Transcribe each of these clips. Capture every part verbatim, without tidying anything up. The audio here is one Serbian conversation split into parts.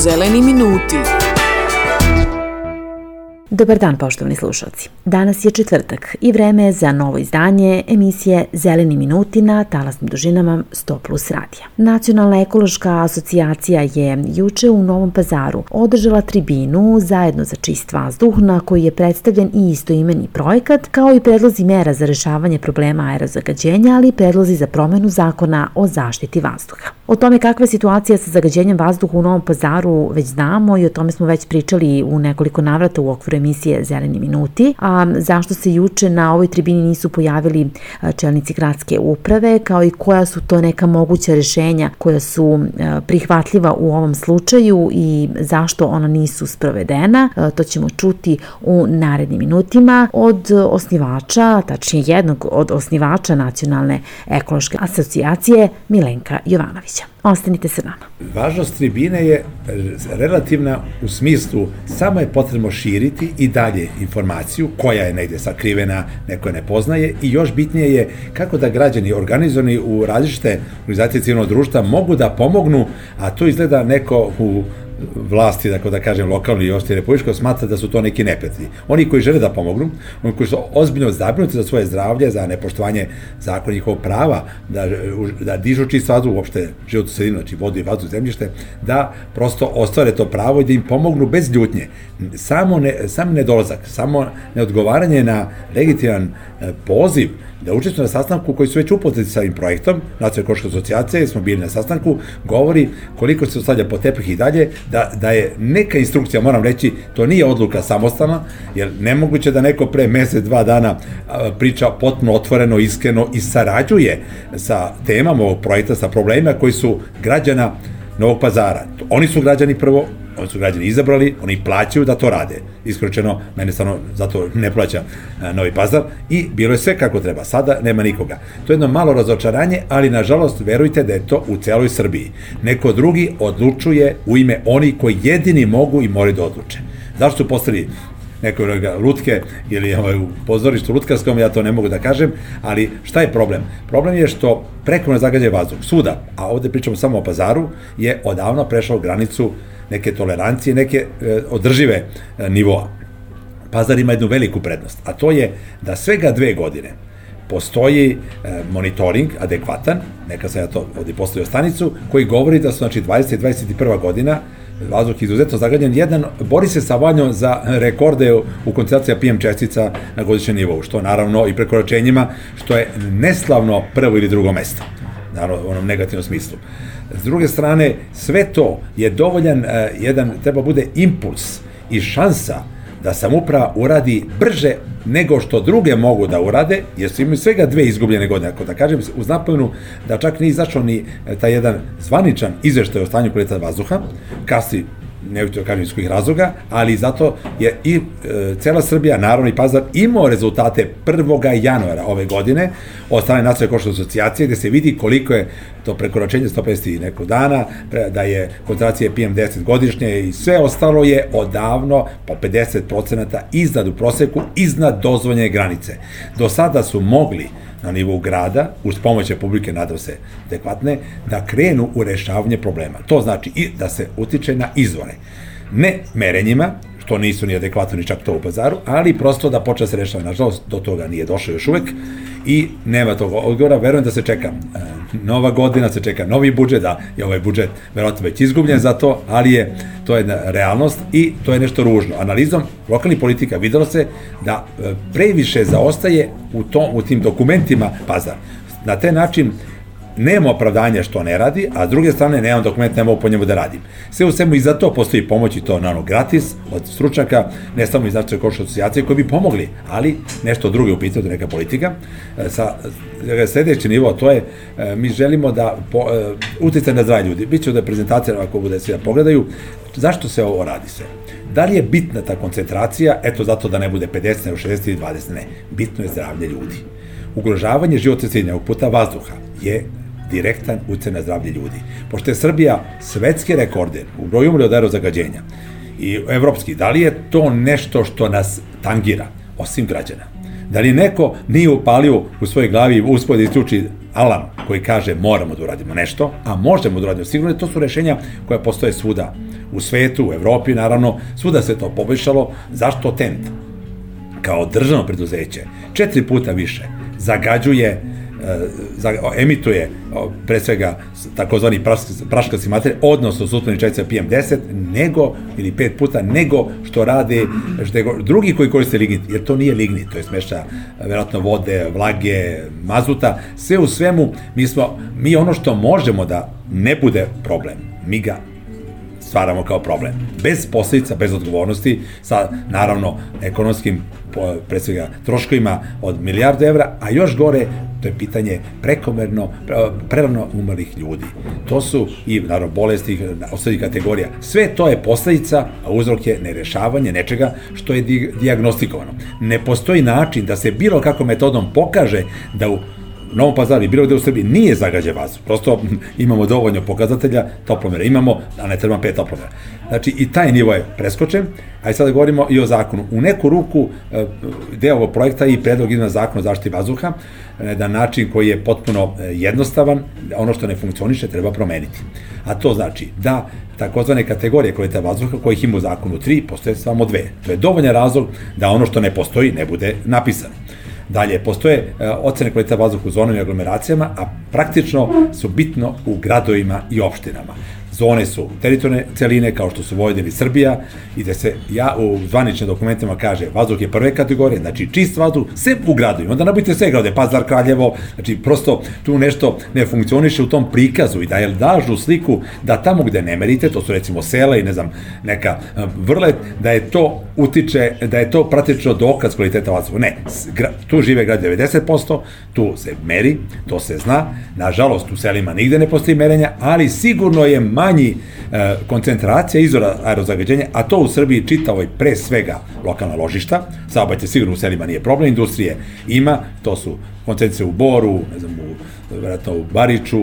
Zeleni minuti. Dobar dan, poštovani slušalci. Danas je četvrtak i vreme je za novo izdanje emisije Zeleni minuti na talasnim dužinama sto plus radija. Nacionalna ekološka asocijacija je juče u Novom Pazaru održala tribinu zajedno za čist vazduh na koji je predstavljen i istoimeni projekat, kao i predlozi mera za rešavanje problema aerozagađenja, ali i predlozi za promenu zakona o zaštiti vazduha. O tome kakva je situacija sa zagađenjem vazduha u Novom Pazaru već znamo i o tome smo već pričali u nekoliko navrata u okviru emisije Zeleni minuti, a zašto se juče na ovoj tribini nisu pojavili čelnici gradske uprave, kao i koja su to neka moguća rešenja koja su prihvatljiva u ovom slučaju i zašto ona nisu sprovedena, to ćemo čuti u narednim minutima od osnivača, tačnije jednog od osnivača Nacionalne ekološke asocijacije, Milenka Jovanovića. Ostanite sa nama. Važnost tribine je relativna u smislu samo je potrebno širiti i dalje informaciju koja je negde sakrivena, neko je ne poznaje i još bitnije je kako da građani organizovani u različite organizacije civilnog društva mogu da pomognu, a to izgleda neko u vlasti, tako da kažem, lokalno i ošte republičko, smatra da su to neki neprijatelji. Oni koji žele da pomognu, oni koji su ozbiljno zabrinuti za svoje zdravlje, za nepoštovanje zakona njihovog prava, da, da dižu čist vazduh, uopšte životnu sredinu, znači vodu i vazduh, zemljište, da prosto ostvare to pravo i da im pomognu bez ljutnje. Samo, ne, samo nedolazak, samo neodgovaranje na legitiman poziv da učestvuju na sastanku koji su već upoznati sa ovim projektom, Nacionalne ekološke asocijacije, smo bili na sastanku, govori koliko se ostavlja po tepih i dalje, da, da je neka instrukcija, moram reći, to nije odluka samostalna, jer nemoguće da neko pre mesec, dva dana priča potpuno otvoreno, iskreno i sarađuje sa temama ovog projekta, sa problemima koji su građana Novog Pazara. Oni su građani prvo, oni su građani izabrali, oni plaćaju da to rade. Iskreno, mene stvarno zato ne plaća Novi Pazar i bilo je sve kako treba. Sada nema nikoga. To je jedno malo razočaranje, ali nažalost verujte da je to u celoj Srbiji. Neko drugi odlučuje u ime oni koji jedini mogu i moraju da odluče. Zašto su postali neko lutke ili ovaj, u pozorištu lutkarskom, ja to ne mogu da kažem, ali šta je problem? Problem je što prekomjerno zagađuje vazduh svuda, a ovde pričamo samo o Pazaru, je odavno prešao granicu neke tolerancije, neke e, održive e, nivoa. Pazar ima jednu veliku prednost, a to je da svega dve godine postoji e, monitoring adekvatan, neka sam ja to ovdje postavio stanicu, koji govori da su znači dvadeset i dvadeset prva godina vazduh izuzetno zagađen, jedan bori se sa vanjom za rekorde u koncentraciji P M čestica na godišnjem nivou, što naravno i prekoračenjima, što je neslavno prvo ili drugo mesto, naravno u onom negativnom smislu. S druge strane, sve to je dovoljan, jedan, treba bude impuls i šansa da samouprava uradi brže nego što druge mogu da urade, jer su imaju svega dve izgubljene godine, ako da kažem, uz napomenu da čak nije izašao ni taj jedan zvaničan izveštaj o stanju kvaliteta vazduha, kasni, ne bih to kažem iz kojih razloga, ali zato je i e, cela Srbija, naravno i Pazar, imao rezultate prvog januara ove godine od strane Nacionalne ekološke asocijacije, gde se vidi koliko je to prekoračenje sto pedeset i nekog dana, da je koncentracija P M deset godišnje i sve ostalo je odavno po pedeset procenata iznad u proseku, iznad dozvoljene granice. Do sada su mogli na nivou grada, uz pomoć Republike, nadam se, adekvatne, da krenu u rešavanje problema. To znači i da se utiče na izvore. Ne merenjima, što nisu ni adekvatno ni čak to u Pazaru, ali prosto da počne se rešava. Nažalost, do toga nije došao još uvek i nema tog odgovora. Verujem da se čeka nova godina, se čeka novi budžet, da je ovaj budžet verovatno već izgubljen za to, ali je to jedna realnost i to je nešto ružno. Analizom lokalnih politika videlo se da previše zaostaje u, tom, u tim dokumentima Pazar. Na taj način nema opravdanja što ne radi, a s druge strane nemam dokument, ne mogu po njemu da radim. Sve u svemu i za to postoji pomoć i to naravno gratis od stručnjaka, ne samo iz Nacionalne ekološke asocijacije koji bi pomogli, ali nešto drugo u pitanju, neka politika. Sa sledeći nivo, to je, mi želimo da po, uticaj na zdravlje ljudi. Biće da prezentacija, ako bude svi da pogledaju, zašto se ovo radi sve? Da li je bitna ta koncentracija? Eto, zato da ne bude pedeset, nego šezdeset ili dvadeset, ne. Bitno je zdravlje ljudi. Ugrožavanje životne sredine ovog puta vazduha je direktan uticaj na zdravlje ljudi. Pošto je Srbija svetski rekorder u broju umrlih od aerozagađenja i evropski, da li je to nešto što nas tangira, osim građana? Da li neko nije upalio u svojoj glavi i uspio da isključi alarm koji kaže moramo da uradimo nešto, a možemo da uradimo sigurno, to su rešenja koja postoje svuda u svetu, u Evropi, naravno, svuda se to poboljšalo. Zašto Tent, kao državno preduzeće, četiri puta više zagađuje, emituje pre svega takozvani praškasti materije, odnosno suspenzivne čestice P M deset, nego, ili pet puta, nego što rade drugi koji koriste lignit, jer to nije lignit, to je smešća verovatno vode, vlage, mazuta, sve u svemu, mi smo, mi ono što možemo da ne bude problem, mi ga stvaramo kao problem. Bez posljedica, bez odgovornosti, sa, naravno, ekonomskim, pre svega, troškovima od milijardu evra, a još gore, to je pitanje prekomerno, prerano umrlih ljudi. To su i, naravno, bolesti, osnovnih kategorija. Sve to je posljedica, a uzrok je nerešavanje nečega što je dijagnostikovano. Ne postoji način da se bilo kakvom metodom pokaže da u Novom Pazaru i bilo gde u Srbiji nije zagađen vazduh. Prosto imamo dovoljno pokazatelja, toplomera imamo, a ne treba pet toplomera. Znači i taj nivo je preskočen, a i sada govorimo i o zakonu. U neku ruku deo ovog projekta i predlog izmena zakona o zaštiti vazduha na način koji je potpuno jednostavan, ono što ne funkcioniše treba promeniti. A to znači da takozvane kategorije kvaliteta vazduha, kojih ima u zakonu tri, postoje samo dve. To je dovoljan razlog da ono što ne postoji ne bude napisano. Dalje, postoje ocene kvaliteta vazduha u zonama i aglomeracijama, a praktično su bitno u gradovima i opštinama. Zone su teritorijalne celine, kao što su Vojvodina i Srbija, i da se ja u zvaničnim dokumentima kaže vazduh je prve kategorije, znači čist vazduh, sve u gradovima. Onda nabavite sve grade, Pazar, Kraljevo, znači prosto tu nešto ne funkcioniše u tom prikazu i da je lažu sliku da tamo gde ne merite, to su recimo sela i ne znam, neka vrlet, da je to utiče, da je to praktično dokaz kvaliteta vazduha. Ne, tu žive grad devedeset posto, tu se meri, to se zna, nažalost u selima nigde ne postoji merenja, ali sigurno je manji e, koncentracija izvora aerozagađenja, a to u Srbiji čitavoj pre svega lokalna ložišta, saobraćaj sigurno u selima nije problem, industrije ima, to su koncentracije u Boru, ne znam, u, vjerojatno u Bariču,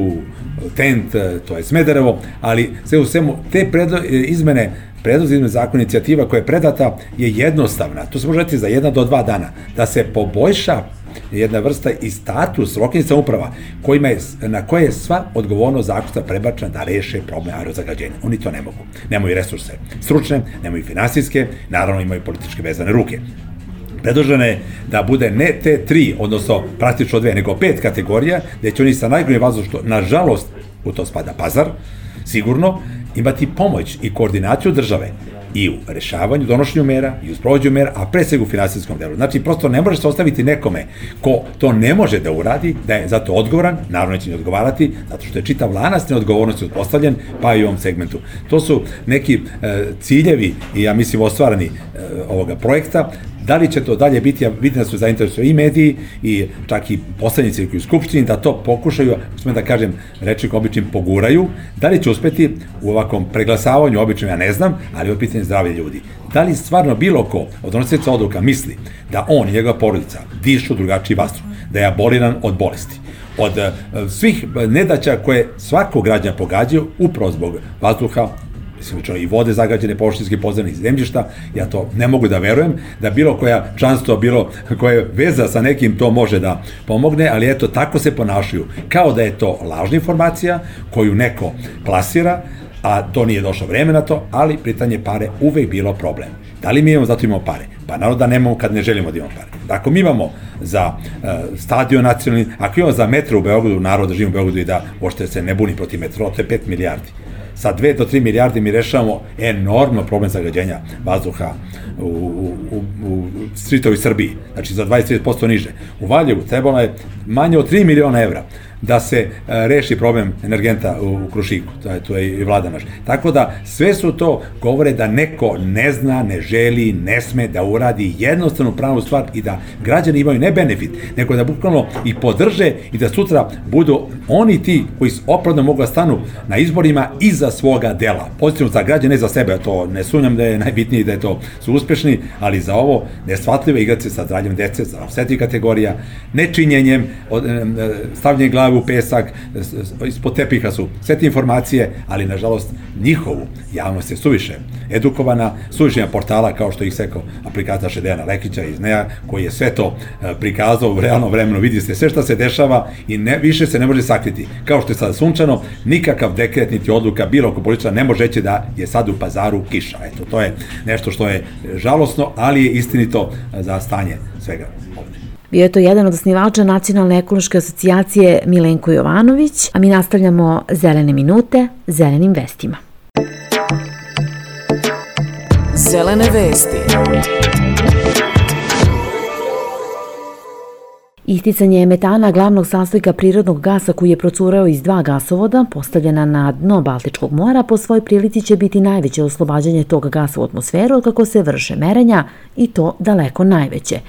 Tent, to je Smederevo, ali sve u svemu, te predlo, izmene, predlozi izmene zakona, inicijativa koja je predata je jednostavna, to se može reći za jedna do dva dana, da se poboljša jedna vrsta i status lokalnih samouprava kojima je, na koje je sva odgovornost zakonska prebačena da reše problem aerozagađenja. Oni to ne mogu. Nemaju resurse stručne, nemaju finansijske, naravno imaju političke vezane ruke. Predloženo je da bude ne te tri, odnosno praktično dve, nego pet kategorija, gde će oni sa najgorim vazduhom, što nažalost u to spada Pazar, sigurno, imati pomoć i koordinaciju države i u rešavanju, donošenju mera, i u sprovođenju mera, a pre svega u finansijskom delu. Znači, prosto ne može se ostaviti nekome ko to ne može da uradi, da je zato odgovoran, naravno neće ne odgovarati, zato što je čitav lanac neodgovornosti uspostavljen, pa i u ovom segmentu. To su neki e, ciljevi, i ja mislim ostvarani e, ovoga projekta. Da li će to dalje biti, ja vidim da su zainteresovani i mediji i čak i poslanici u Skupštini da to pokušaju, smem da kažem, reči običnim poguraju, da li će uspeti u ovakvom preglasavanju običnim, ja ne znam, ali je pitanje zdravlja ljudi. Da li stvarno bilo ko od donosioca odluka misli da on i njegova porodica dišu drugačiji vazduh, da je aboliran od bolesti, od svih nedaća koje svakog građana pogađaju upravo zbog vazduha, i vode zagađene, površinske podzemnih zemljišta, ja to ne mogu da verujem, da bilo koja članstvo, bilo koja veza sa nekim to može da pomogne, ali eto, tako se ponašaju, kao da je to lažna informacija koju neko plasira, a to nije došlo vreme na to, ali pitanje pare uvek bilo problem. Da li mi imamo, zato imamo pare? Pa naravno da nemamo kad ne želimo da imamo pare. Ako mi imamo za uh, stadion nacionalni, ako imamo za metro u Beogradu, narod da živimo u Beogradu i da uopšte se ne buni protiv metro, to je pet milijardi. Sa dve do tri milijardi mi rešavamo enormno problem zagađenja vazduha u, u, u, u čitavoj Srbiji, znači za dvadeset do trideset posto niže. U Valjevu trebalo je manje od tri miliona evra da se e, reši problem energenta u, u Krušiku, to je, to je i vlada naš. Tako da sve su to govore da neko ne zna, ne želi, ne sme da uradi jednostavnu pravu stvar i da građani imaju ne benefit, nego da bukvalno i podrže i da sutra budu oni ti koji opravdano mogu da stanu na izborima iza svoga dela. Pozitivno za građane, ne za sebe, to ne sumnjam da je najbitnije da je to su uspešni, ali za ovo neshvatljivo igrati se sa zdravljem dece, za osetljivih kategorija, nečinjenjem, stavljanjem glave glave u pesak, ispod tepiha su sve te informacije, ali nažalost njihovu javnost je suviše edukovana, suviše na portala kao što ih sekao aplikacija Dejana Lekića iz N E A, koji je sve to prikazao u realnom vremenu, vidi se sve šta se dešava i ne, više se ne može sakriti. Kao što je sada sunčano, nikakav dekret niti odluka bilo oko političara ne može reći da je sad u Pazaru kiša. Eto, to je nešto što je žalosno, ali je istinito za stanje svega ovdje. Bio je to jedan od osnivača Nacionalne ekološke asocijacije Milenko Jovanović, a mi nastavljamo Zelene minute zelenim vestima. Zelene vesti. Isticanje metana, glavnog sastojka prirodnog gasa koji je procureo iz dva gasovoda, postavljena na dno Baltičkog mora, po svoj prilici će biti najveće oslobađanje tog gasa u atmosferu od kako se vrše merenja i to daleko najveće.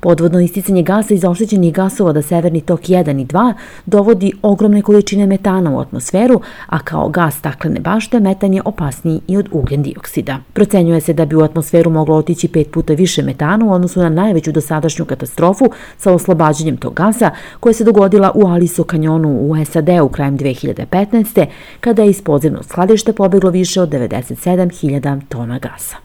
Podvodno isticanje gasa iz oštećenih gasovoda Severni tok jedan i dva dovodi ogromne količine metana u atmosferu, a kao gas staklene bašte metan je opasniji i od ugljen dioksida. Procenjuje se da bi u atmosferu moglo otići pet puta više metana u odnosu na najveću dosadašnju katastrofu sa oslobađanjem tog gasa koja se dogodila u Aliso kanjonu u S A D-u krajem dve hiljade petnaeste. kada je iz podzemnog skladišta pobeglo više od devedeset sedam hiljada tona gasa.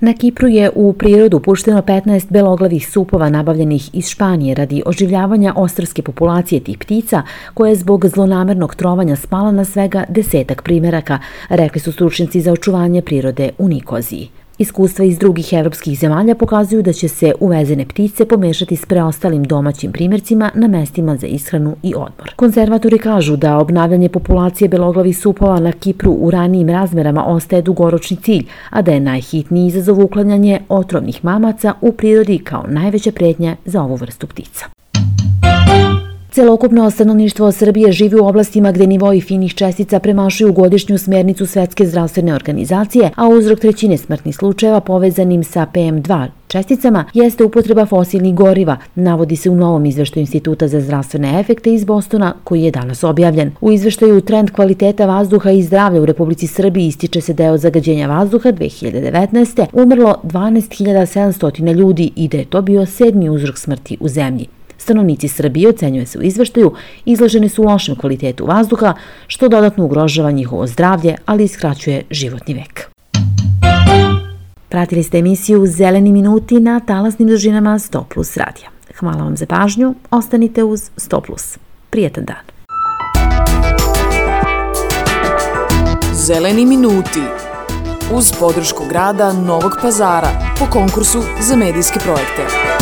Na Kipru je u prirodu pušteno petnaest beloglavih supova nabavljenih iz Španije radi oživljavanja ostrvske populacije tih ptica, koja je zbog zlonamernog trovanja spala na svega desetak primeraka, rekli su stručnjaci za očuvanje prirode u Nikoziji. Iskustva iz drugih evropskih zemalja pokazuju da će se uvezene ptice pomešati s preostalim domaćim primjercima na mestima za ishranu i odmor. Konzervatori kažu da obnavljanje populacije beloglavih supova na Kipru u ranijim razmerama ostaje dugoročni cilj, a da je najhitniji izazov uklanjanje otrovnih mamaca u prirodi kao najveća pretnja za ovu vrstu ptica. Celokupno stanovništvo Srbije živi u oblastima gde nivoi finih čestica premašuju godišnju smernicu Svetske zdravstvene organizacije, a uzrok trećine smrtnih slučajeva povezanim sa P M dva česticama jeste upotreba fosilnih goriva, navodi se u novom izveštaju Instituta za zdravstvene efekte iz Bostona koji je danas objavljen. U izveštaju Trend kvaliteta vazduha i zdravlja u Republici Srbiji ističe se da je od zagađenja vazduha dve hiljade devetnaeste. umrlo dvanaest hiljada sedamsto ljudi i da je to bio sedmi uzrok smrti u zemlji. Stanovnici Srbije, ocenjuje se u izveštaju, izloženi su lošem kvalitetu vazduha, što dodatno ugrožava njihovo zdravlje, ali i skraćuje životni vek. Pratili ste emisiju Zeleni minuti na talasnim dužinama sto plus radija. Hvala vam za pažnju, ostanite uz sto plus. Prijetan dan. Zeleni minuti uz podršku grada Novog Pazara po konkursu za medijske projekte.